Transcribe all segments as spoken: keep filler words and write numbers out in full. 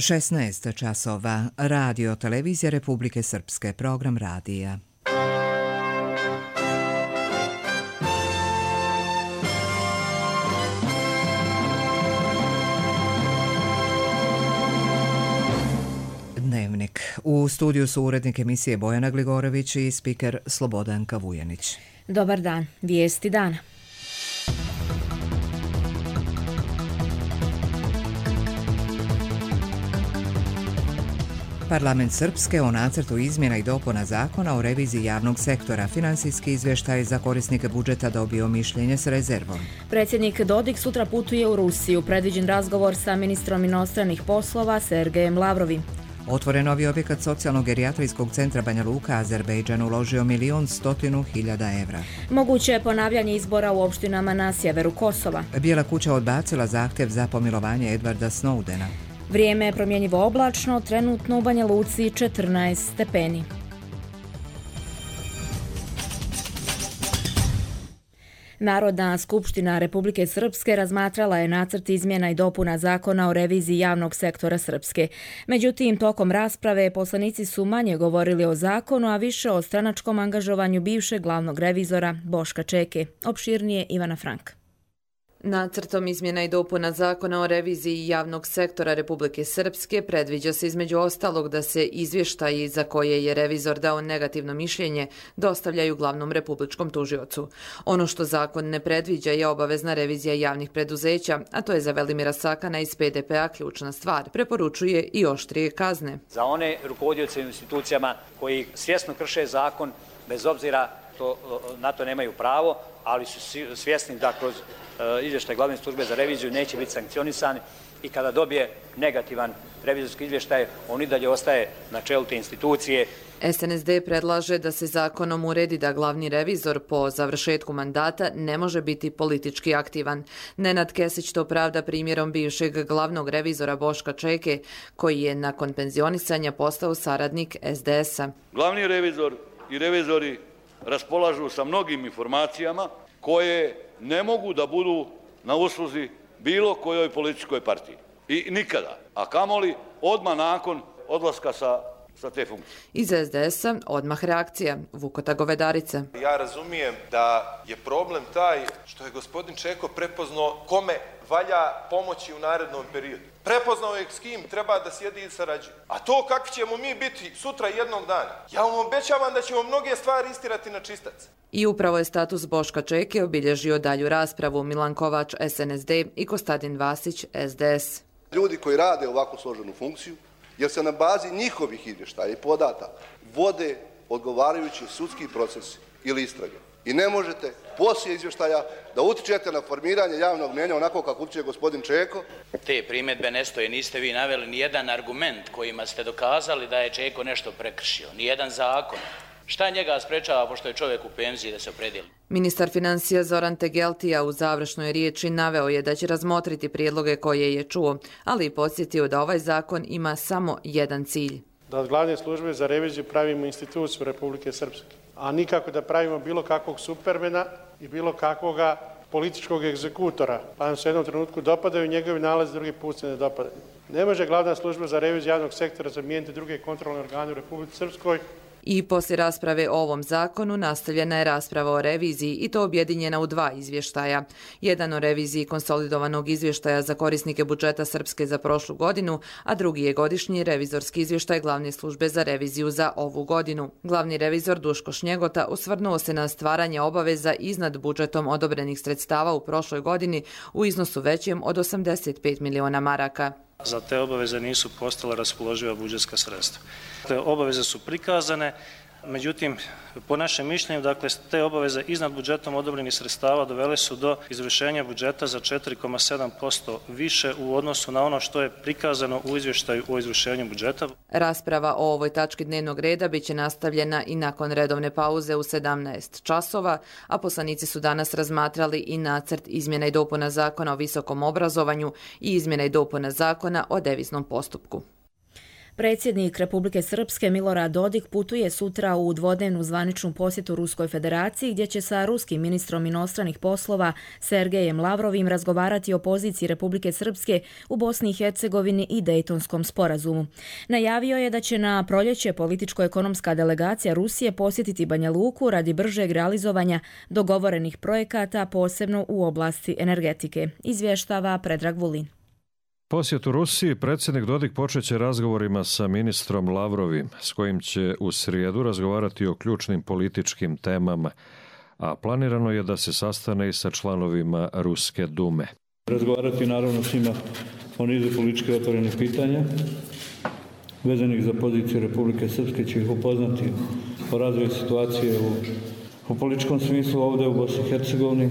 šesnaest časova. Radio Televizija Republike Srpske. Program radija. Dnevnik. U studiju su urednik emisije Bojana Gligorović i spiker Slobodanka Vujanić. Dobar dan. Vijesti dana. Parlament Srpske o nacrtu izmjena i dopuna zakona o reviziji javnog sektora. Finansijski izvještaj za korisnike budžeta dobio mišljenje s rezervom. Predsjednik Dodik sutra putuje u Rusiju. Predviđen razgovor sa ministrom inostranih poslova Sergejem Lavrovim. Otvoren novi objekat socijalno-gerijatrijskog centra Banja Luka. Azerbejdžan uložio milion stotinu hiljada evra. Moguće je ponavljanje izbora u opštinama na sjeveru Kosova. Bijela kuća odbacila zahtjev za pomilovanje Edwarda Snowdena. Vrijeme je promjenjivo oblačno, trenutno u Banja Luci četrnaest stepeni. Narodna skupština Republike Srpske razmatrala je nacrt izmjena i dopuna zakona o reviziji javnog sektora Srpske. Međutim, tokom rasprave poslanici su manje govorili o zakonu, a više o stranačkom angažovanju bivšeg glavnog revizora Boška Čeke. Opširnije Ivana Frank. Nacrtom izmjena i dopuna zakona o reviziji javnog sektora Republike Srpske predviđa se između ostalog da se izvještaji za koje je revizor dao negativno mišljenje dostavljaju glavnom republičkom tužiocu. Ono što zakon ne predviđa je obavezna revizija javnih preduzeća, a to je za Velimira Sakana iz P D P-a ključna stvar. Preporučuje i oštrije kazne. Za one rukovodioce institucijama koji svjesno krše zakon, bez obzira to, na to nemaju pravo, ali su svjesni da kroz izvještaj glavne službe za reviziju neće biti sankcionisani i kada dobije negativan revizorski izvještaj, on i dalje ostaje na čelu te institucije. S N S D predlaže da se zakonom uredi da glavni revizor po završetku mandata ne može biti politički aktivan. Nenad Kesić to pravda primjerom bivšeg glavnog revizora Boška Čeke, koji je nakon penzionisanja postao saradnik S D S-a. Glavni revizor i revizori raspolažu sa mnogim informacijama koje ne mogu da budu na usluzi bilo kojoj političkoj partiji. I nikada. A kamoli odmah nakon odlaska sa, sa te funkcije. Iz S D S-a odmah reakcija. Vukota Govedarica. Ja razumijem da je problem taj što je gospodin Čeko prepoznao kome valja pomoći u narednom periodu. Prepoznao je s kim treba da sjedi i sarađuje. A to kakvi ćemo mi biti sutra jednog dana, ja vam obećavam da ćemo mnoge stvari istirati na čistac. I upravo je status Boška Čeke obilježio dalju raspravu. Milan Kovač, S N S D i Kostadin Vasić, S D S. Ljudi koji rade ovakvu složenu funkciju, jer se na bazi njihovih izvještaja i podataka vode odgovarajući sudski procesi ili istrage. I ne možete poslije izvještaja da utičete na formiranje javnog mnjenja onako kako utiče gospodin Čeko. Te primjedbe ne stoje, niste vi naveli ni jedan argument kojima ste dokazali da je Čeko nešto prekršio, ni jedan zakon. Šta njega sprečava, pošto je čovjek u penziji, da se opredijeli? Ministar financija Zoran Tegeltija u završnoj riječi naveo je da će razmotriti prijedloge koje je čuo, ali i podsjetio da ovaj zakon ima samo jedan cilj. Da od glavne službe za reviziju pravimo instituciju Republike Srpske, a nikako da pravimo bilo kakvog supermena i bilo kakvoga političkog egzekutora, pa nam se u jednom trenutku dopadaju njegovi nalazi, drugi put se ne dopadaju. Ne može glavna služba za reviziju javnog sektora zamijeniti druge kontrolne organe u Republici Srpskoj. I poslije rasprave o ovom zakonu nastavljena je rasprava o reviziji i to objedinjena u dva izvještaja. Jedan o reviziji konsolidovanog izvještaja za korisnike budžeta Srpske za prošlu godinu, a drugi je godišnji revizorski izvještaj glavne službe za reviziju za ovu godinu. Glavni revizor Duško Šnjegota osvrnuo se na stvaranje obaveza iznad budžetom odobrenih sredstava u prošloj godini u iznosu većem od osamdeset pet miliona maraka. Za te obaveze nisu postala raspoloživa budžetska sredstva. Te obaveze su prikazane, međutim, po našem mišljenju, dakle, te obaveze iznad budžetom odobrenih sredstava dovele su do izvršenja budžeta za četiri zarez sedam posto više u odnosu na ono što je prikazano u izvještaju o izvršenju budžeta. Rasprava o ovoj tački dnevnog reda biće nastavljena i nakon redovne pauze u sedamnaest časova, a poslanici su danas razmatrali i nacrt izmjena i dopuna zakona o visokom obrazovanju i izmjena i dopuna zakona o deviznom postupku. Predsjednik Republike Srpske Milorad Dodik putuje sutra u dvodnevnu zvaničnu posjetu Ruskoj federaciji gdje će sa ruskim ministrom inostranih poslova Sergejem Lavrovim razgovarati o poziciji Republike Srpske u Bosni i Hercegovini i Dejtonskom sporazumu. Najavio je da će na proljeće političko-ekonomska delegacija Rusije posjetiti Banja Luku radi bržeg realizovanja dogovorenih projekata, posebno u oblasti energetike, izvještava Predrag Vulin. Posjet u Rusiji predsjednik Dodik počeće razgovorima sa ministrom Lavrovim, s kojim će u srijedu razgovarati o ključnim političkim temama, a planirano je da se sastane i sa članovima Ruske dume. Razgovarati naravno s njima o nizu politički otvorenih pitanja, vezanih za poziciju Republike Srpske, će ih upoznati o razvoju situacije u, u političkom smislu ovdje u Bosni i Hercegovini,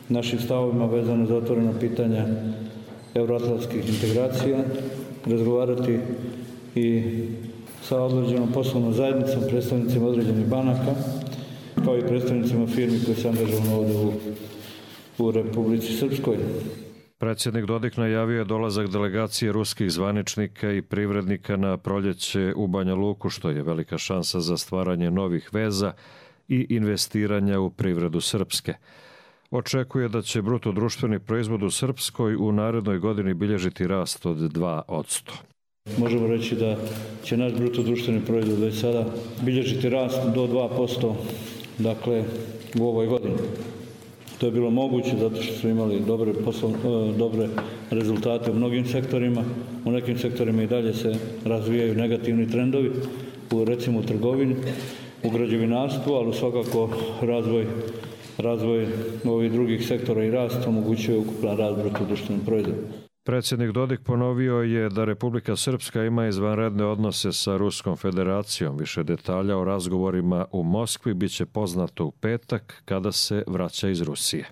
našim stavovima vezano za otvorena pitanja euroatlantskih integracija, razgovarati i sa određenom poslovnom zajednicom, predstavnicima određenih banaka, kao i predstavnicima firmi koji se angažovano ovdje u, u Republici Srpskoj. Predsjednik Dodik najavio je dolazak delegacije ruskih zvaničnika i privrednika na proljeće u Banja Luku, što je velika šansa za stvaranje novih veza i investiranja u privredu Srpske. Očekuje da će bruto društveni proizvod u Srpskoj u narednoj godini bilježiti rast od dva posto. Možemo reći da će naš bruto društveni proizvod već sada bilježiti rast do dva posto, dakle, u ovoj godini. To je bilo moguće zato što su imali dobre, posl, dobre rezultate u mnogim sektorima. U nekim sektorima i dalje se razvijaju negativni trendovi, u, recimo u trgovini, u građevinarstvu, ali svakako razvoj Razvoj ovih drugih sektora i rast omogućuje ukupan rast bruto društvenog proizvoda. Predsjednik Dodik ponovio je da Republika Srpska ima izvanredne odnose sa Ruskom federacijom. Više detalja o razgovorima u Moskvi biće poznato u petak kada se vraća iz Rusije.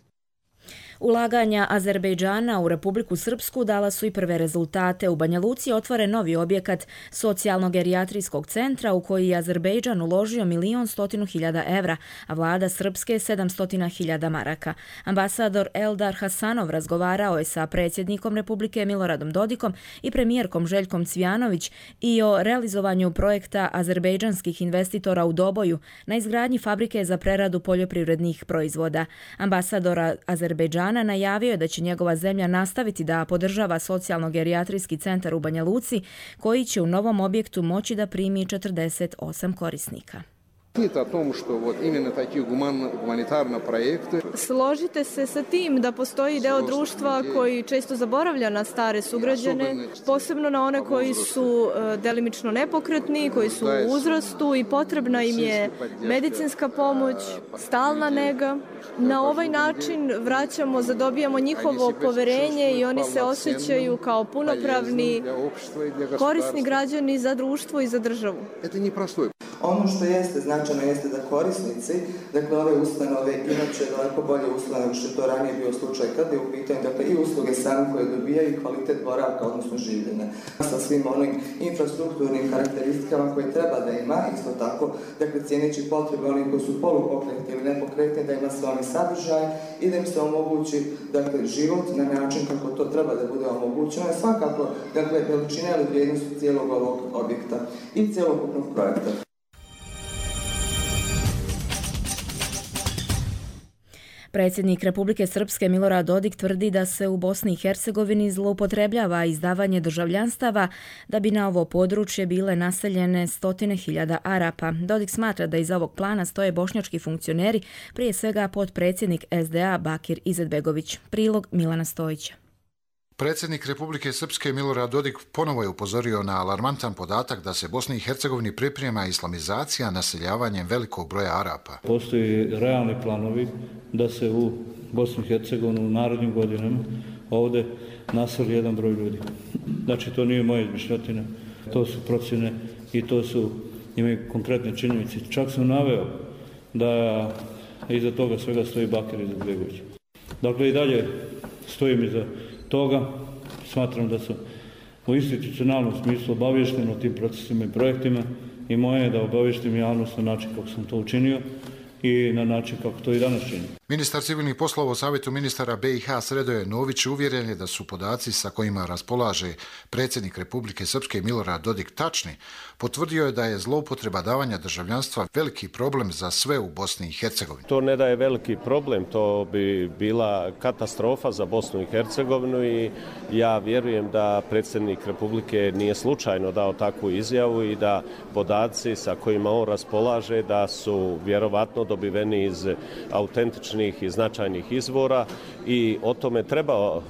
Ulaganja Azerbejdžana u Republiku Srpsku dala su i prve rezultate. U Banja Luci otvoren novi objekat socijalno-gerijatrijskog centra u koji je Azerbejdžan uložio milion stotinu hiljada evra, a vlada Srpske sedamstotina hiljada maraka. Ambasador Eldar Hasanov razgovarao je sa predsjednikom Republike Miloradom Dodikom i premijerkom Željkom Cvijanović i o realizovanju projekta azerbejdžanskih investitora u Doboju na izgradnji fabrike za preradu poljoprivrednih proizvoda. Ambasador Azerbejdžana najavio je da će njegova zemlja nastaviti da podržava socijalno-gerijatrijski centar u Banja Luci, koji će u novom objektu moći da primi četrdeset osam korisnika. Složite se sa tim da postoji deo društva koji često zaboravlja na stare sugrađane, posebno na one koji su delimično nepokretni, koji su u uzrastu i potrebna im je medicinska pomoć, stalna nega. Na ovaj način vraćamo, zadobijamo njihovo poverenje i oni se osjećaju kao punopravni korisni građani za društvo i za državu. Ono što jeste značajno jeste da korisnici, dakle ove ustanove inače daleko bolje uslove nego što je to ranije bio slučaj kada je u pitanju, dakle i usluge sami koje dobijaju i kvalitet boravka, odnosno življenja. Sa svim onim infrastrukturnim karakteristikama koje treba da ima, isto tako, dakle cijeneći potrebe onih koji su polupokretni ili nepokretni, da ima sve oni sadržaj i da im se omogući, dakle, život na način kako to treba da bude omogućeno. Svakako, dakle, veličina ili vrijednost cijelog ovog objekta i cijelokupnog projekta. Predsjednik Republike Srpske Milorad Dodik tvrdi da se u Bosni i Hercegovini zloupotrebljava izdavanje državljanstava da bi na ovo područje bile naseljene stotine hiljada Arapa. Dodik smatra da iza ovog plana stoje bošnjački funkcioneri, prije svega potpredsjednik S D A Bakir Izetbegović. Prilog Milana Stojića. Predsjednik Republike Srpske Milorad Dodik ponovo je upozorio na alarmantan podatak da se Bosni i Hercegovini priprema islamizacija naseljavanjem velikog broja Arapa. Postoji realni planovi da se u Bosni i Hercegovini u narednim godinama ovdje naseli jedan broj ljudi. Znači, to nije moje izmišljotine, to su procjene i to su imaju konkretne činjenice. Čak sam naveo da iza toga svega stoji Bakir Izetbegović. Dakle, i dalje stojim iza toga, smatram da sam u institucionalnom smislu obavješten o tim procesima i projektima i moje je da obavještim javnost na način kako sam to učinio i na način kako to i danas čini. Ministar civilnih poslova u Savjetu ministara B i H Sredoje Nović uvjeren je da su podaci sa kojima raspolaže predsjednik Republike Srpske Milorad Dodik tačni. Potvrdio je da je zloupotreba davanja državljanstva veliki problem za sve u Bosni i Hercegovini. To ne da je veliki problem, to bi bila katastrofa za Bosnu i Hercegovinu i ja vjerujem da predsjednik Republike nije slučajno dao takvu izjavu i da podaci sa kojima on raspolaže da su vjerovatno dobiveni iz autentičnih i značajnih izvora i o tome treba uh,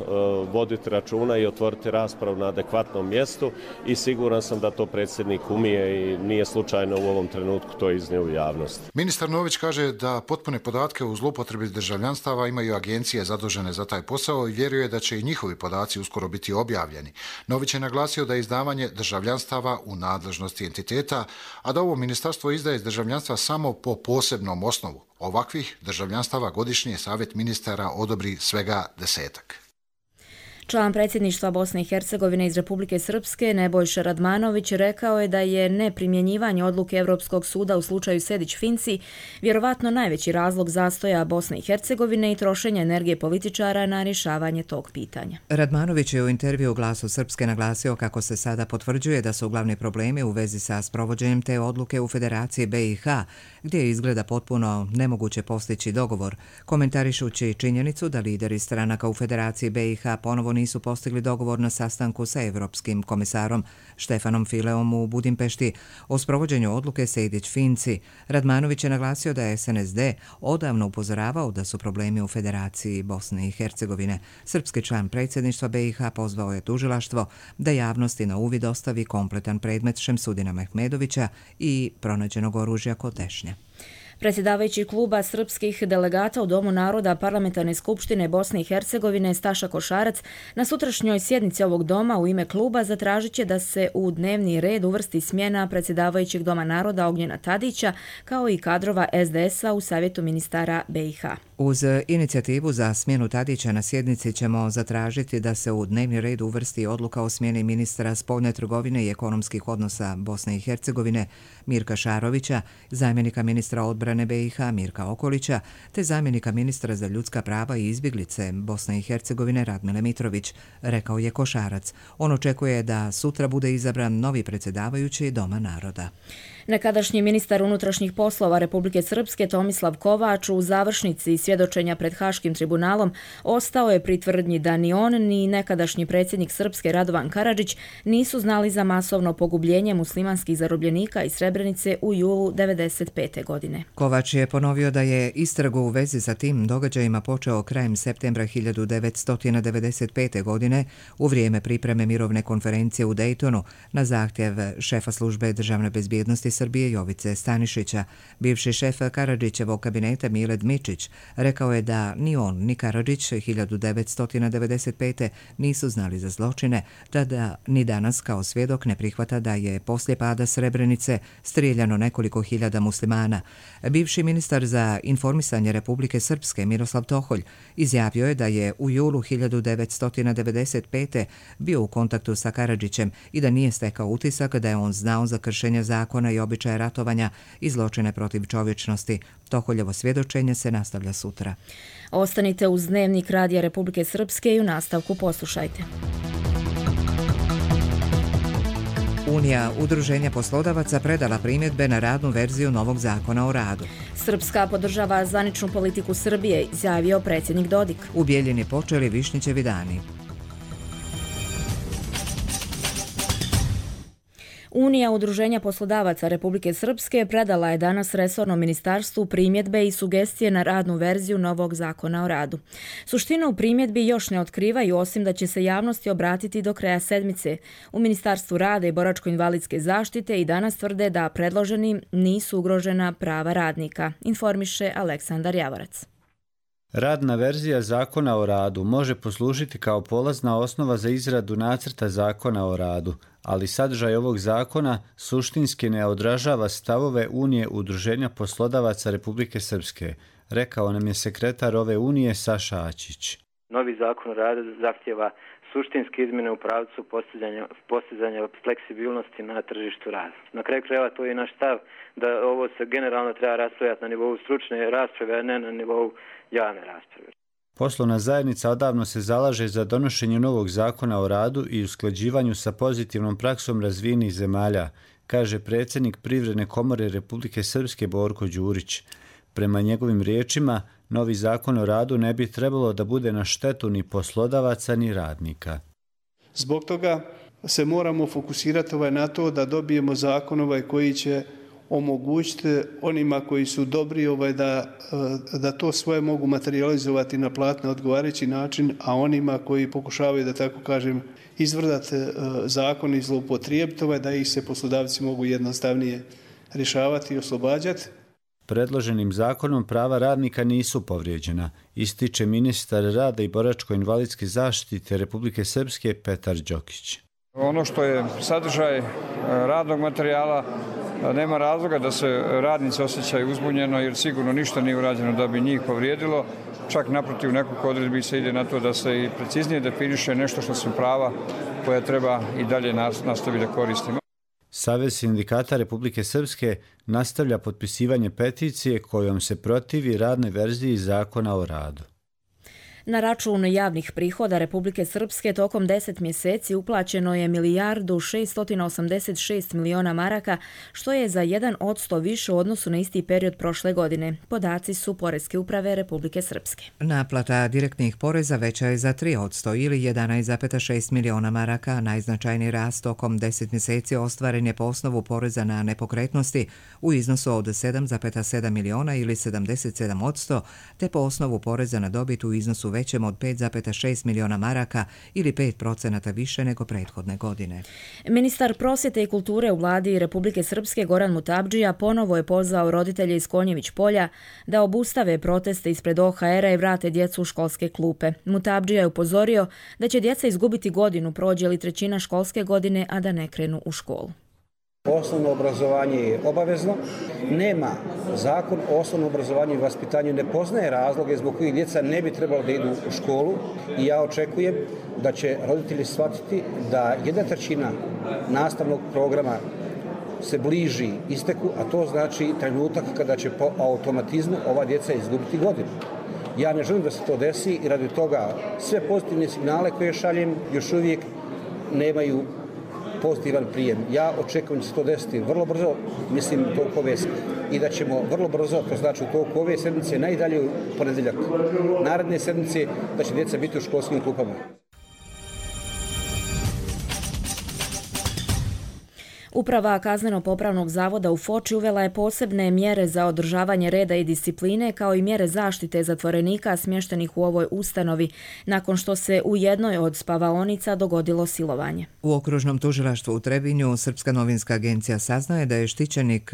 voditi računa i otvoriti raspravu na adekvatnom mjestu i siguran sam da to predsjednik umije i nije slučajno u ovom trenutku to iznio u javnost. Ministar Nović kaže da potpune podatke u zloupotrebi državljanstava imaju agencije zadužene za taj posao i vjeruje da će i njihovi podaci uskoro biti objavljeni. Nović je naglasio da je izdavanje državljanstava u nadležnosti entiteta, a da ovo ministarstvo izdaje državljanstva samo po posebnom osnovu. Ovakvih državljanstava godišnje Savjet ministara odobri svega desetak. Član predsjedništva Bosne i Hercegovine iz Republike Srpske Nebojša Radmanović rekao je da je neprimjenjivanje odluke Europskog suda u slučaju Sejdić-Finci vjerovatno najveći razlog zastoja Bosne i Hercegovine i trošenja energije političara na rješavanje tog pitanja. Radmanović je u intervju Glasu Srpske naglasio kako se sada potvrđuje da su glavni problemi u vezi sa sprovođenjem te odluke u Federaciji B i H, gdje je izgleda potpuno nemoguće postići dogovor, komentarišući činjenicu da lideri stranaka u Federaciji B i H ponovo nisu postigli dogovor na sastanku sa Evropskim komisarom Štefanom Fileom u Budimpešti o sprovođenju odluke Sejdić-Finci. Radmanović je naglasio da je S N S D odavno upozoravao da su problemi u Federaciji Bosne i Hercegovine. Srpski član predsjedništva B i H pozvao je tužilaštvo da javnosti na uvid ostavi kompletan predmet Šemsudina Mehmedovića i pronađenog oružja kod tešnje. Predsjedavajući kluba srpskih delegata u Domu naroda Parlamentarne skupštine Bosne i Hercegovine Staša Košarac na sutrašnjoj sjednici ovog doma u ime kluba zatražit će da se u dnevni red uvrsti smjena predsjedavajućeg Doma naroda Ognjena Tadića kao i kadrova S D S-a u Savjetu ministara B i H. Uz inicijativu za smjenu Tadića na sjednici ćemo zatražiti da se u dnevni red uvrsti odluka o smjeni ministra spoljne trgovine i ekonomskih odnosa Bosne i Hercegovine Mirka Šarovića, zamjenika ministra odbrane B i H Mirka Okolića, te zamjenika ministra za ljudska prava i izbjeglice Bosne i Hercegovine Radmile Mitrović, rekao je Košarac. On očekuje da sutra bude izabran novi predsjedavajući Doma naroda. Nekadašnji ministar unutrašnjih poslova Republike Srpske Tomislav Kovač u završnici svjedočenja pred Haškim tribunalom ostao je pri tvrdnji da ni on ni nekadašnji predsjednik Srpske Radovan Karadžić nisu znali za masovno pogubljenje muslimanskih zarobljenika iz Srebrenice u julu devedeset pete. godine. Kovač je ponovio da je istragu u vezi sa tim događajima počeo krajem septembra hiljadu devetsto devedeset pete. godine u vrijeme pripreme mirovne konferencije u Dejtonu na zahtjev šefa službe državne bezbjednosti Srbije Jovice Stanišića. Bivši šef Karadžićevog kabineta Mile Dmičić rekao je da ni on ni Karadžić hiljadu devetsto devedeset pete. nisu znali za zločine, tada ni danas kao svjedok ne prihvata da je poslije pada Srebrenice strijeljano nekoliko hiljada muslimana. Bivši ministar za informisanje Republike Srpske Miroslav Toholj izjavio je da je u julu hiljadu devetsto devedeset pete. bio u kontaktu sa Karadžićem i da nije stekao utisak da je on znao za kršenje zakona i običaje ratovanja i zločine protiv čovječnosti. Toholjevo svjedočenje se nastavlja sutra. Ostanite uz Dnevnik Radija Republike Srpske i u nastavku poslušajte. Unija udruženja poslodavaca predala primjedbe na radnu verziju novog zakona o radu. Srpska podržava zvaničnu politiku Srbije, izjavio predsjednik Dodik. U Bijeljini počeli Višnjićevi dani. Unija udruženja poslodavaca Republike Srpske predala je danas resornom ministarstvu primjedbe i sugestije na radnu verziju novog zakona o radu. Suštinu primjedbi još ne otkrivaju, osim da će se javnosti obratiti do kraja sedmice. U Ministarstvu rada i boračko-invalidske zaštite i danas tvrde da predloženi nisu ugrožena prava radnika, informiše Aleksandar Javorac. Radna verzija zakona o radu može poslužiti kao polazna osnova za izradu nacrta zakona o radu, ali sadržaj ovog zakona suštinski ne odražava stavove Unije udruženja poslodavaca Republike Srpske, rekao nam je sekretar ove unije Saša Ačić. Novi zakon o radu zahtjeva suštinske izmjene u pravcu postizanja, postizanja fleksibilnosti na tržištu rada. Na kraju krajeva to je naš stav da ovo se generalno treba raspravljati na nivou stručne rasprave, a ne na nivou javne rasprave. Poslovna zajednica odavno se zalaže za donošenje novog zakona o radu i usklađivanju sa pozitivnom praksom razvijenih zemalja, kaže predsjednik Privredne komore Republike Srpske Borko Đurić. Prema njegovim riječima, novi zakon o radu ne bi trebalo da bude na štetu ni poslodavaca ni radnika. Zbog toga se moramo fokusirati ovaj na to da dobijemo zakon ovaj koji će omogućiti onima koji su dobri ovaj da, da to svoje mogu materializovati na plat na odgovarajući način, a onima koji pokušavaju, da tako kažem, izvrdati zakon i zloupotrijebiti ovaj, da ih se poslodavci mogu jednostavnije rješavati i oslobađati. Predloženim zakonom prava radnika nisu povrijeđena, ističe ministar rada i boračko-invalidske zaštite Republike Srpske Petar Đokić. Ono što je sadržaj radnog materijala, nema razloga da se radnici osjećaju uzbunjeno jer sigurno ništa nije urađeno da bi njih povrijedilo. Čak naprotiv nekoliko odredbi se ide na to da se i preciznije definiše nešto što su prava koja treba i dalje nastaviti da koristimo. Savez sindikata Republike Srpske nastavlja potpisivanje peticije kojom se protivi radnoj verziji zakona o radu. Na račun javnih prihoda Republike Srpske tokom deset mjeseci uplaćeno je milijardu šest osamdeset šest miliona maraka, što je za jedan posto više u odnosu na isti period prošle godine. Podaci su Poreske uprave Republike Srpske. Naplata direktnih poreza veća je za tri posto ili jedanaest zarez šest miliona maraka. Najznačajniji rast tokom deset mjeseci ostvaren je po osnovu poreza na nepokretnosti u iznosu od sedam zarez sedam miliona ili sedamdeset sedam posto, te po osnovu poreza na dobit u iznosu većem od pet zarez šest miliona maraka ili pet procenata više nego prethodne godine. Ministar prosvjete i kulture u vladi Republike Srpske Goran Mutabdžija ponovo je pozvao roditelje iz Konjević polja da obustave proteste ispred O H R-a i vrate djecu u školske klupe. Mutabdžija je upozorio da će djeca izgubiti godinu, prođe li trećina školske godine, a da ne krenu u školu. Osnovno obrazovanje je obavezno, nema zakon o osnovnom obrazovanju i vaspitanju, ne poznaje razloge zbog kojih djeca ne bi trebalo da idu u školu i ja očekujem da će roditelji shvatiti da jedna trećina nastavnog programa se bliži isteku, a to znači trenutak kada će po automatizmu ova djeca izgubiti godinu. Ja ne želim da se to desi i radi toga sve pozitivne signale koje šaljem još uvijek nemaju pozitivan prijem. Ja očekujem da se to desiti vrlo brzo, mislim toliko ove i da ćemo vrlo brzo, to znači u toliko ove sedmice, najdalje u ponedjeljak naredne sedmice, da će djeca biti u školskim klupama. Uprava Kazneno-popravnog zavoda u Foči uvela je posebne mjere za održavanje reda i discipline kao i mjere zaštite zatvorenika smještenih u ovoj ustanovi nakon što se u jednoj od spavaonica dogodilo silovanje. U okružnom tužilaštvu u Trebinju Srpska novinska agencija saznaje da je štićenik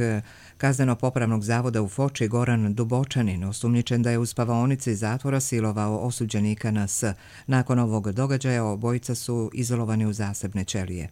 Kazneno-popravnog zavoda u Foči Goran Dubočanin osumnjičen da je u spavaonici zatvora silovao osuđenika na S. Nakon ovog događaja obojica su izolovani u zasebne ćelije.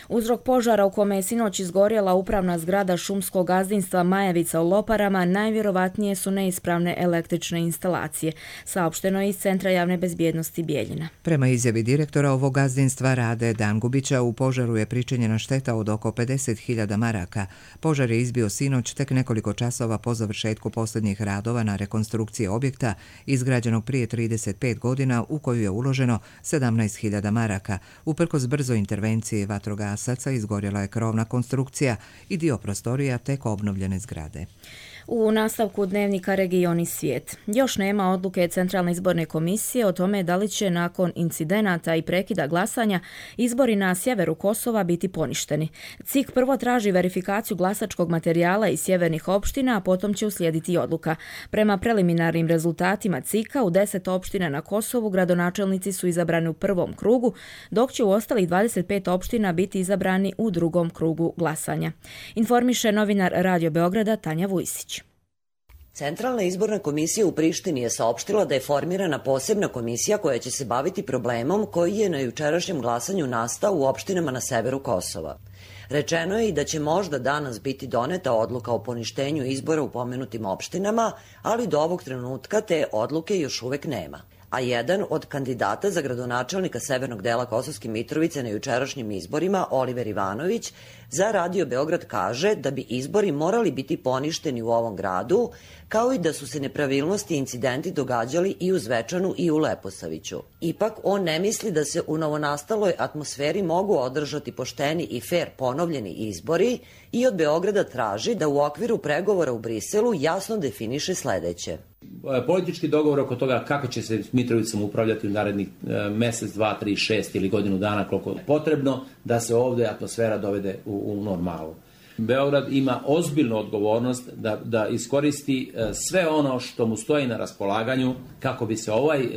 Uzrok požara u kome je sinoć izgorjela upravna zgrada šumskog gazdinstva Majevica u Loparama najvjerovatnije su neispravne električne instalacije, saopšteno je iz Centra javne bezbjednosti Bijeljina. Prema izjavi direktora ovog gazdinstva Rade Dangubića, u požaru je pričinjena šteta od oko pedeset hiljada maraka. Požar je izbio sinoć tek nekoliko časova po završetku posljednjih radova na rekonstrukciji objekta izgrađenog prije trideset pet godina u koju je uloženo sedamnaest hiljada maraka. Uprkos brzoj intervenciji vatrogasaca izgorjela je krovna konstrukcija i dio prostorija tek obnovljene zgrade. U nastavku dnevnika Region i svijet. Još nema odluke Centralne izborne komisije o tome da li će nakon incidenata i prekida glasanja izbori na sjeveru Kosova biti poništeni. C I K prvo traži verifikaciju glasačkog materijala iz sjevernih opština, a potom će uslijediti odluka. Prema preliminarnim rezultatima C I K-a u deset opština na Kosovu gradonačelnici su izabrani u prvom krugu, dok će u ostalih dvadeset pet opština biti izabrani u drugom krugu glasanja. Informiše novinar Radio Beograda Tanja Vujsić. Centralna izborna komisija u Prištini je saopštila da je formirana posebna komisija koja će se baviti problemom koji je na jučerašnjem glasanju nastao u opštinama na severu Kosova. Rečeno je i da će možda danas biti doneta odluka o poništenju izbora u pomenutim opštinama, ali do ovog trenutka te odluke još uvek nema. a jedan od kandidata za gradonačelnika severnog dela Kosovske Mitrovice na jučerašnjim izborima, Oliver Ivanović, za Radio Beograd kaže da bi izbori morali biti poništeni u ovom gradu, kao i da su se nepravilnosti i incidenti događali i u Zvečanu i u Leposaviću. Ipak, on ne misli da se u novonastaloj atmosferi mogu održati pošteni i fer ponovljeni izbori i od Beograda traži da u okviru pregovora u Briselu jasno definiše sledeće. Politički dogovor oko toga kako će se Mitrovicom upravljati u narednih mesec, dva, tri, šest ili godinu dana, koliko je potrebno da se ovde atmosfera dovede u, u normalu. Beograd ima ozbiljnu odgovornost da, da iskoristi sve ono što mu stoji na raspolaganju kako bi se ovaj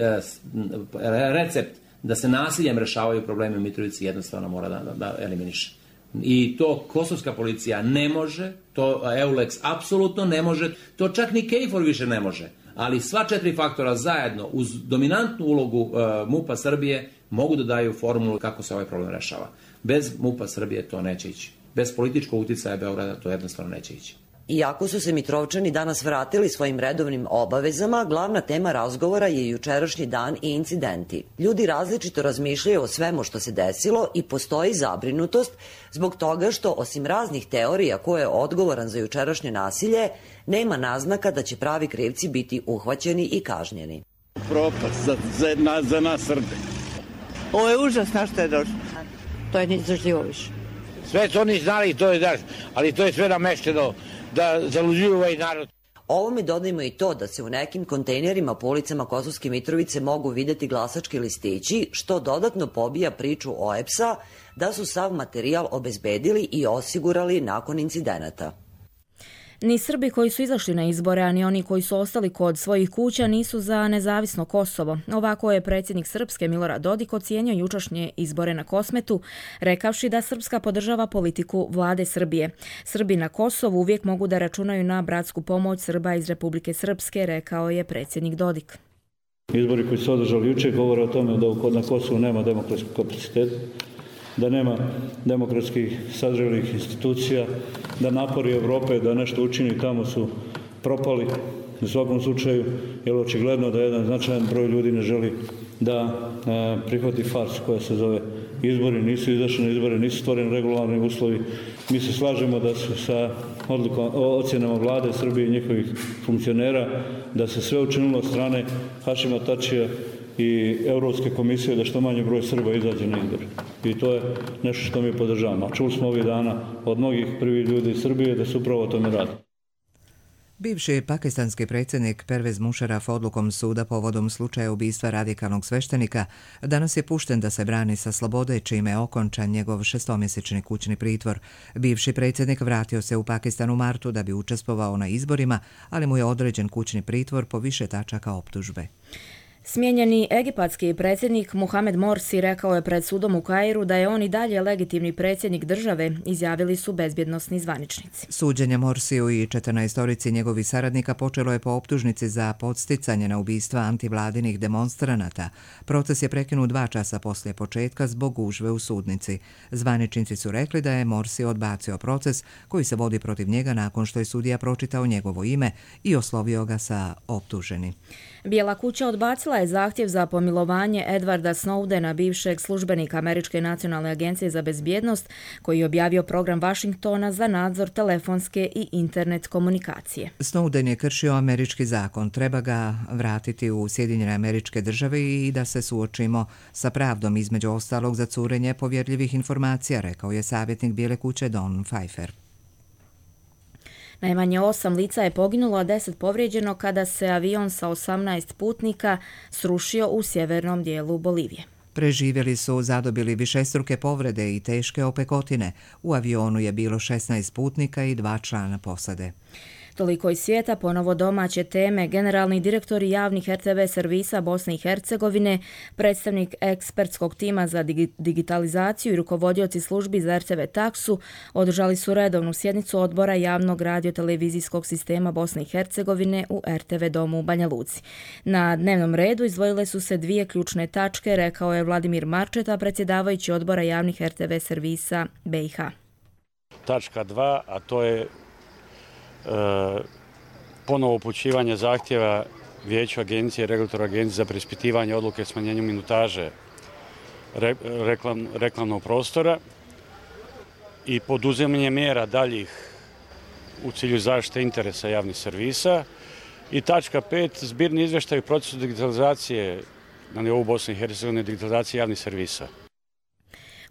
recept da se nasiljem rešavaju problemi u Mitrovici jednostavno mora da, da, da eliminiše. I to kosovska policija ne može, to Eulex apsolutno ne može, to čak ni KFOR više ne može. Ali sva četiri faktora zajedno uz dominantnu ulogu uh, MUP-a Srbije mogu da daju formulu kako se ovaj problem rešava. Bez MUP-a Srbije to neće ići. Bez političkog uticaja Beograda to jednostavno neće ići. Iako su se Mitrovčani danas vratili svojim redovnim obavezama, glavna tema razgovora je jučerašnji dan i incidenti. Ljudi različito razmišljaju o svemu što se desilo i postoji zabrinutost zbog toga što, osim raznih teorija ko je odgovoran za jučerašnje nasilje, nema naznaka da će pravi krivci biti uhvaćeni i kažnjeni. Propast za, za, za nas Srbe. Ovo je užas na što je došlo. To je neizdržljivo više. Sve su oni znali, to je daš, ali to je sve namešteno da zaluđuju ovaj narod. Ovome dodajmo i to da se u nekim kontejnerima po ulicama Kosovske Mitrovice mogu videti glasački listići, što dodatno pobija priču O E P S-a da su sav materijal obezbedili i osigurali nakon incidenata. Ni Srbi koji su izašli na izbore, a ni oni koji su ostali kod svojih kuća nisu za nezavisno Kosovo. Ovako je predsjednik Srpske Milorad Dodik ocijenio jučerašnje izbore na Kosmetu, rekavši da Srpska podržava politiku vlade Srbije. Srbi na Kosovu uvijek mogu da računaju na bratsku pomoć Srba iz Republike Srpske, rekao je predsjednik Dodik. Izbori koji su održali jučer govore o tome da na Kosovu nema demokratskog kapaciteta, da nema demokratskih sazrelih institucija, da napori Evrope da nešto učini tamo su propali u svakom slučaju, jer očigledno da jedan značajan broj ljudi ne želi da e, prihvati farsu koja se zove izbori, nisu izašli na izbore, nisu stvoreni regularni uslovi. Mi se slažemo da su sa odlukom, ocjenama vlade Srbije i njihovih funkcionera, da se sve učinilo od strane Hašima Tačija i Europske komisije da što manje broj Srba izađe na izbore. I to je nešto što mi podržavamo. Čuli smo ovih dana od mnogih prvih ljudi iz Srbije da se upravo o tome radi. Bivši pakistanski predsjednik Pervez Musharraf odlukom suda povodom slučaja ubistva radikalnog sveštenika danas je pušten da se brani sa slobode, čime je okončan njegov šestomjesečni kućni pritvor. Bivši predsjednik vratio se u Pakistan u martu da bi učestvovao na izborima, ali mu je određen kućni pritvor po više tačaka optužbe. Smijenjeni egipatski predsjednik Mohamed Morsi rekao je pred sudom u Kairu da je on i dalje legitimni predsjednik države, izjavili su bezbjednosni zvaničnici. Suđenje Morsiju i četrnaestorici njegovih saradnika počelo je po optužnici za podsticanje na ubistva antivladinih demonstranata. Proces je prekinut dva časa poslije početka zbog gužve u sudnici. Zvaničnici su rekli da je Morsi odbacio proces koji se vodi protiv njega nakon što je sudija pročitao njegovo ime i oslovio ga sa optuženi. Bijela kuća odbacila je zahtjev za pomilovanje Edwarda Snowdena, bivšeg službenika Američke nacionalne agencije za bezbjednost, koji je objavio program Vašingtona za nadzor telefonske i internet komunikacije. Snowden je kršio američki zakon, treba ga vratiti u Sjedinjene Američke Države i da se suočimo sa pravdom, između ostalog za curenje povjerljivih informacija, rekao je savjetnik Bijele kuće Don Pfeiffer. Najmanje osam lica je poginulo, a deset povrijeđeno kada se avion sa osamnaest putnika srušio u sjevernom dijelu Bolivije. Preživjeli su zadobili višestruke povrede i teške opekotine. U avionu je bilo šesnaest putnika i dva člana posade. Toliko iz svijeta, ponovo domaće teme. Generalni direktori javnih R T V servisa Bosne i Hercegovine, predstavnik ekspertskog tima za digitalizaciju i rukovodioci službi za R T V taksu održali su redovnu sjednicu odbora javnog radiotelevizijskog sistema Bosne i Hercegovine u R T V domu u Banja Luci. Na dnevnom redu izdvojile su se dvije ključne tačke, rekao je Vladimir Marčeta, predsjedavajući odbora javnih R T V servisa B i H. Tačka dva, a to je E, ponovo upućivanje zahtjeva Vijeću agencije, regulatora agencije za preispitivanje odluke smanjenju minutaže re, reklam, reklamnog prostora i poduzimanje mjera daljih u cilju zaštite interesa javnih servisa. I tačka pet, zbirni izvještaj u procesu digitalizacije na nivou Bosne i Hercegovine, digitalizacije javnih servisa.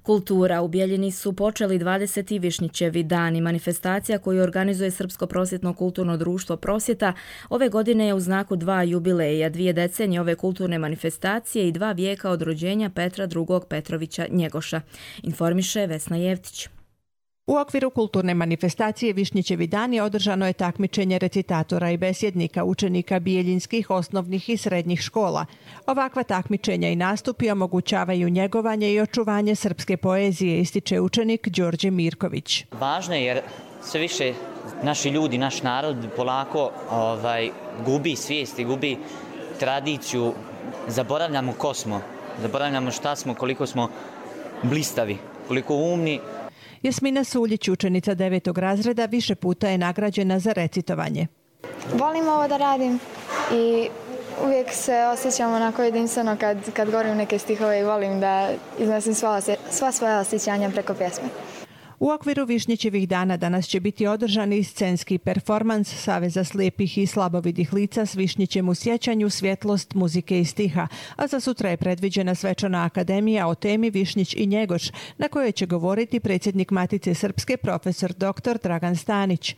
Kultura. U Bijeljini su počeli dvadeseti Višnjićevi dani. Manifestacija koju organizuje Srpsko prosvjetno kulturno društvo Prosvjeta ove godine je u znaku dva jubileja, dvije decenije ove kulturne manifestacije i dva vijeka od rođenja Petra drugog Petrovića Njegoša. Informiše Vesna Jevtić. U okviru kulturne manifestacije Višnjićevi dani održano je takmičenje recitatora i besjednika učenika bijeljinskih osnovnih i srednjih škola. Ovakva takmičenja i nastupi omogućavaju njegovanje i očuvanje srpske poezije, ističe učenik Đorđe Mirković. Važno je jer sve više naši ljudi, naš narod polako ovaj, gubi svijest i gubi tradiciju. Zaboravljamo ko smo, zaboravljamo šta smo, koliko smo blistavi, koliko umni. Jasmina Suljić, učenica devetog razreda, više puta je nagrađena za recitovanje. Volim ovo da radim i uvijek se osjećam onako jedinstveno kad, kad govorim neke stihove i volim da iznosim sva, sva svoja osjećanja preko pjesme. U okviru Višnjićevih dana danas će biti održan i scenski performans Saveza slijepih i slabovidih lica s Višnjićem u sjećanju, svjetlost, muzike i stiha, a za sutra je predviđena svečana akademija o temi Višnjić i Njegoš, na kojoj će govoriti predsjednik Matice Srpske profesor doktor Dragan Stanić.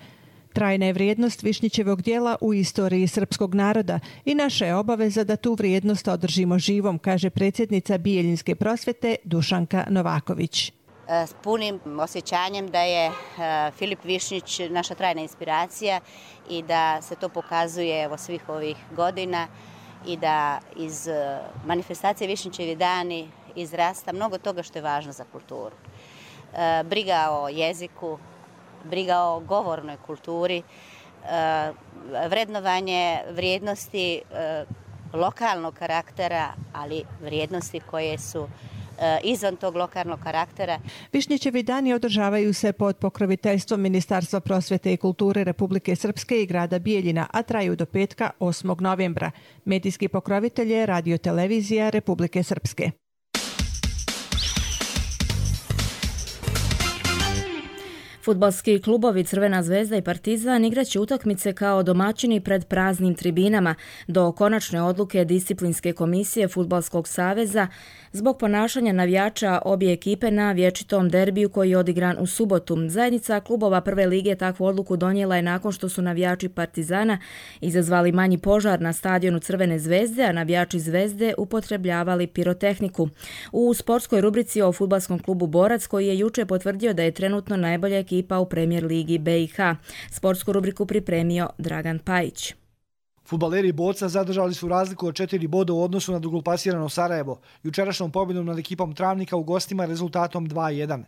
Trajna je vrijednost Višnjićevog djela u istoriji srpskog naroda i naša je obaveza da tu vrijednost održimo živom, kaže predsjednica Bijeljinske prosvjete Dušanka Novaković. S punim osjećanjem da je Filip Višnjić naša trajna inspiracija i da se to pokazuje evo svih ovih godina i da iz manifestacije Višnjićevi dani izrasta mnogo toga što je važno za kulturu. Briga o jeziku, briga o govornoj kulturi, vrednovanje vrijednosti lokalnog karaktera, ali vrijednosti koje su izvan tog lokalnog karaktera. Višnjićevi dani održavaju se pod pokroviteljstvom Ministarstva prosvjete i kulture Republike Srpske i grada Bijeljina, a traju do petka osmog novembra. Medijski pokrovitelj je Radio-televizija Republike Srpske. Fudbalski klubovi Crvena zvezda i Partizan igraće utakmice kao domaćini pred praznim tribinama do konačne odluke disciplinske komisije Fudbalskog saveza zbog ponašanja navijača obje ekipe na vječitom derbiju koji je odigran u subotu. Zajednica klubova prve lige takvu odluku donijela je nakon što su navijači Partizana izazvali manji požar na stadionu Crvene zvezde, a navijači Zvezde upotrebljavali pirotehniku. U sportskoj rubrici o fudbalskom klubu Borac, koji je juče potvrdio da je trenutno najbolja ekipa u Premier ligi B i H. Sportsku rubriku pripremio Dragan Pajić. Fudbaleri Borca zadržali su razliku od četiri boda u odnosu na drugoplasirano Sarajevo, jučerašnjom pobjedom nad ekipom Travnika u gostima rezultatom dva jedan.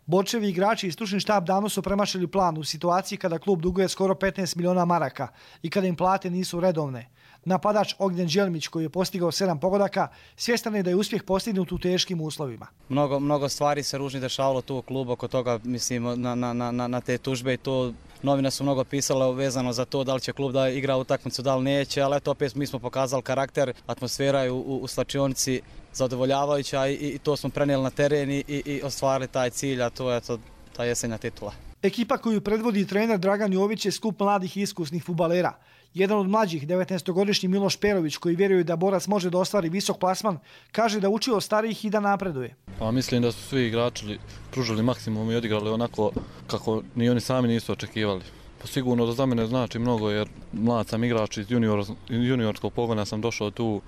Borčevi igrači i stručni štab davno su premašili plan u situaciji kada klub duguje skoro petnaest miliona maraka i kada im plate nisu redovne. Napadač Ognjen Đelmić, koji je postigao sedam pogodaka, svjestan je da je uspjeh postignut u teškim uslovima. Mnogo, mnogo stvari se ružni dešavalo tu u klubu, oko toga mislim na, na, na, na te tužbe i to novine su mnogo pisale vezano za to da li će klub da igra utakmicu, da li neće, ali eto opet mi smo pokazali karakter, atmosfera je u, u, u slačionici zadovoljavajuća i, i to smo prenijeli na teren i, i, i ostvarili taj cilj, a to je to, ta jesenja titula. Ekipa koju predvodi trener Dragan Jović je skup mladih i iskusnih fudbalera. Jedan od mlađih, devetnaestogodišnji Miloš Perović, koji vjeruje da Borac može da ostvari visok plasman, kaže da uči od starijih i da napreduje. Pa, mislim da su svi igrači pružili maksimum i odigrali onako kako ni oni sami nisu očekivali. Pa, sigurno da za mene znači mnogo jer mlad sam igrač iz junior, juniorskog pogona sam došao tu.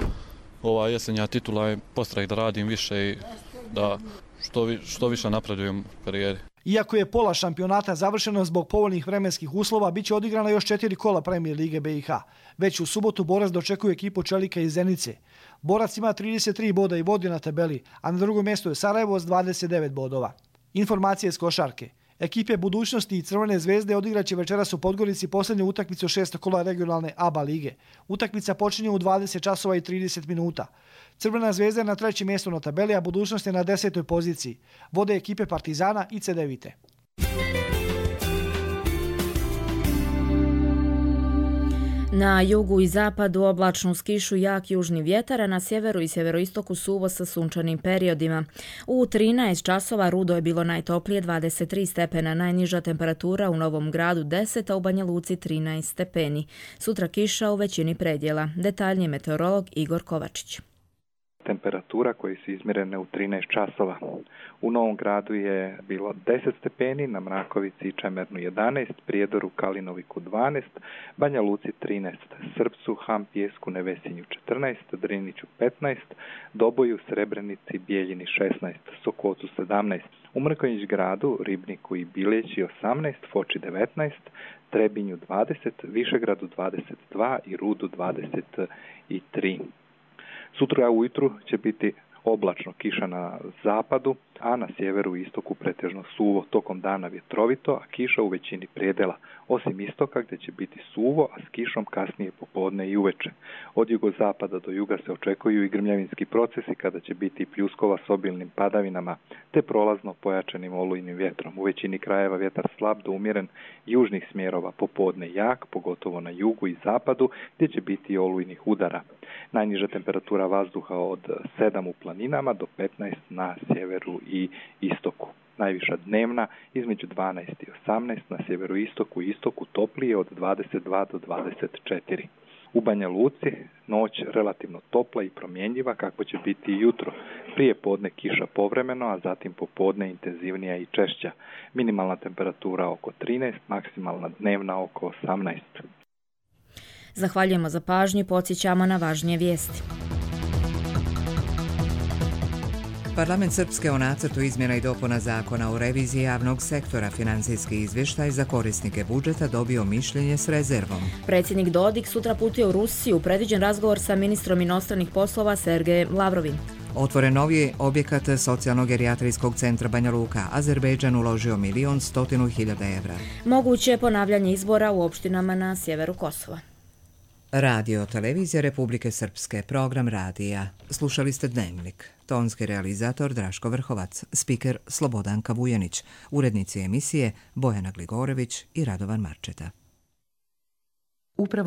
Ova jesenja titula je postrah da radim više i da što, vi, što više napredujem u karijeri. Iako je pola šampionata završeno zbog povoljnih vremenskih uslova, bit će odigrana još četiri kola Premier lige B i H. Već u subotu Borac dočekuje ekipu Čelika iz Zenice. Borac ima trideset tri boda i vodi na tabeli, a na drugom mjestu je Sarajevo s dvadeset devet bodova. Informacije iz košarke. Ekipe Budućnosti i Crvene zvezde odigraće večeras u Podgorici posljednju utakmicu šestog kola regionalne A B A lige. Utakmica počinje u dvadeset časova i trideset minuta. Crvena zvezda je na trećem mjestu na tabeli, a Budućnost je na desetoj poziciji. Vode ekipe Partizana i Cedevite. Na jugu i zapadu oblačno uz kišu, jak južni vjetar, a na sjeveru i sjeveroistoku suvo sa sunčanim periodima. U trinaest časova Rudo je bilo najtoplije dvadeset tri stepena, najniža temperatura u Novom Gradu deset, a u Banja Luci trinaest stepeni. Sutra kiša u većini predjela. Detaljnije meteorolog Igor Kovačić. Temperatura koje su izmjerene u trinaest časova. U Novom Gradu je bilo deset stepeni, na Mrakovici i Čemernu jedanaest, Prijedoru, Kalinoviku dvanaest, Banja Luci trinaest, Srpcu, Ham, Pijesku, Nevesinju četrnaest, Driniću petnaest, Doboju, Srebrenici, Bijeljini šesnaest, Sokocu sedamnaest, u Mrkonjić Gradu, Ribniku i Biljeći osamnaest, Foči devetnaest, Trebinju dvadeset, Višegradu dvadeset dva i Rudu dvadeset tri. Sutra ujutru će biti oblačno, kiša na zapadu, a na sjeveru i istoku pretežno suvo, tokom dana vjetrovito, a kiša u većini predjela, osim istoka gdje će biti suvo, a s kišom kasnije popodne i uveče. Od jugozapada do juga se očekuju i grmljavinski procesi kada će biti pljuskova s obilnim padavinama, te prolazno pojačanim olujnim vjetrom. U većini krajeva vjetar slab do umjeren južnih smjerova, popodne jak, pogotovo na jugu i zapadu, gdje će biti i olujnih udara. Najniža temperatura vazduha od sedam u planinama do petnaest na sjeveru i istoku. Najviša dnevna između dvanaest i osamnaest, na sjeveroistoku i istoku toplije od dvadeset dva do dvadeset četiri. U Banja Luci noć relativno topla i promjenjiva, kako će biti i jutro. Prije podne kiša povremeno, a zatim popodne intenzivnija i češća. Minimalna temperatura oko trinaest, maksimalna dnevna oko osamnaest. Zahvaljujemo za pažnju i podsjećamo na važnije vijesti. Parlament Srpske o nacrtu izmjena i dopuna zakona o reviziji javnog sektora, financijski izvještaj za korisnike budžeta dobio mišljenje s rezervom. Predsjednik Dodik sutra putuje u Rusiju, predviđen razgovor sa ministrom inostranih poslova Sergejem Lavrovim. Otvoren novi objekat socijalno-gerijatrijskog centra Banja Luka. Azerbejdžan uložio milion stotinu hiljada evra. Moguće je ponavljanje izbora u opštinama na sjeveru Kosova. Radio Televizija Republike Srpske, program radija. Slušali ste Dnevnik. Tonski realizator Draško Vrhovac, spiker Slobodanka Vujanić, urednici emisije Bojana Gligorević i Radovan Marčeta. Upravo